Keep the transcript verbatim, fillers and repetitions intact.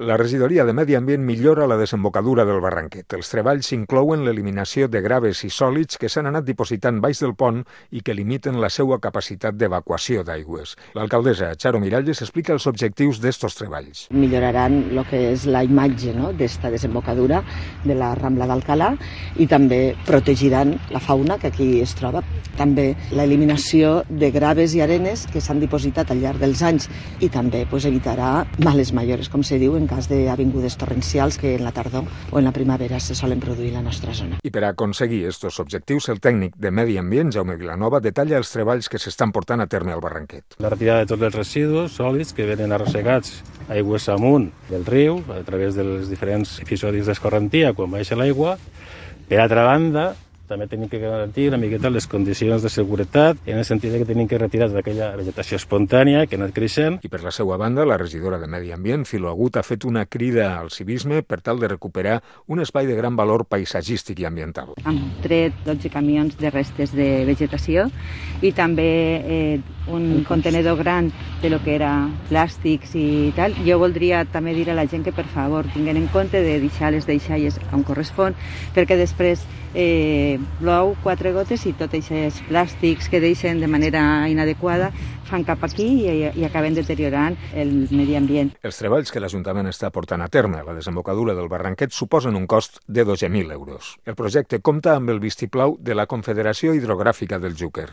La regidoria de Medi Ambient millora la desembocadura del Barranquet. Els treballs inclouen l'eliminació de graves i sòlids que s'han anat dipositant baix del pont i que limiten la seva capacitat d'evacuació d'aigües. L'alcaldessa Charo Miralles explica els objectius d'estos treballs. Milloraran el que és la imatge, no?, d'esta desembocadura de la Rambla d'Alcalà i també protegiran la fauna que aquí es troba. També l'eliminació de graves i arenes que s'han dipositat al llarg dels anys i també pues, evitarà males mayores, com se diu, en cas d'avingudes torrencials que en la tardor o en la primavera se solen produir a la nostra zona. I per a aconseguir aquests objectius, el tècnic de Medi Ambient, Jaume Vilanova, detalla els treballs que s'estan portant a terme al Barranquet. La retirada de tots els residus sòlids que venen arrossegats aigües amunt del riu a través dels diferents episodis d'escorrentia quan baixa l'aigua. Per altra banda, també tenim que garantir una miqueta les condicions de seguretat, en el sentit que tenim que retirar d'aquella vegetació espontània que ha anat creixent. I per la seva banda, la regidora de Medi Ambient, Filo Agut, ha fet una crida al civisme per tal de recuperar un espai de gran valor paisatgístic i ambiental. Hem tret dotze camions de restes de vegetació i també eh, un contenedor gran de lo que era plàstics i tal. Jo voldria també dir a la gent que, per favor, tinguin en compte de deixar les deixalles on correspon, perquè després eh, plou quatre gotes i tots aquests plàstics que deixen de manera inadequada fan cap aquí i, i acaben deteriorant el medi ambient. Els treballs que l'Ajuntament està portant a terme a la desembocadura del Barranquet suposen un cost de dotze mil euros. El projecte compta amb el vistiplau de la Confederació Hidrogràfica del Xúquer.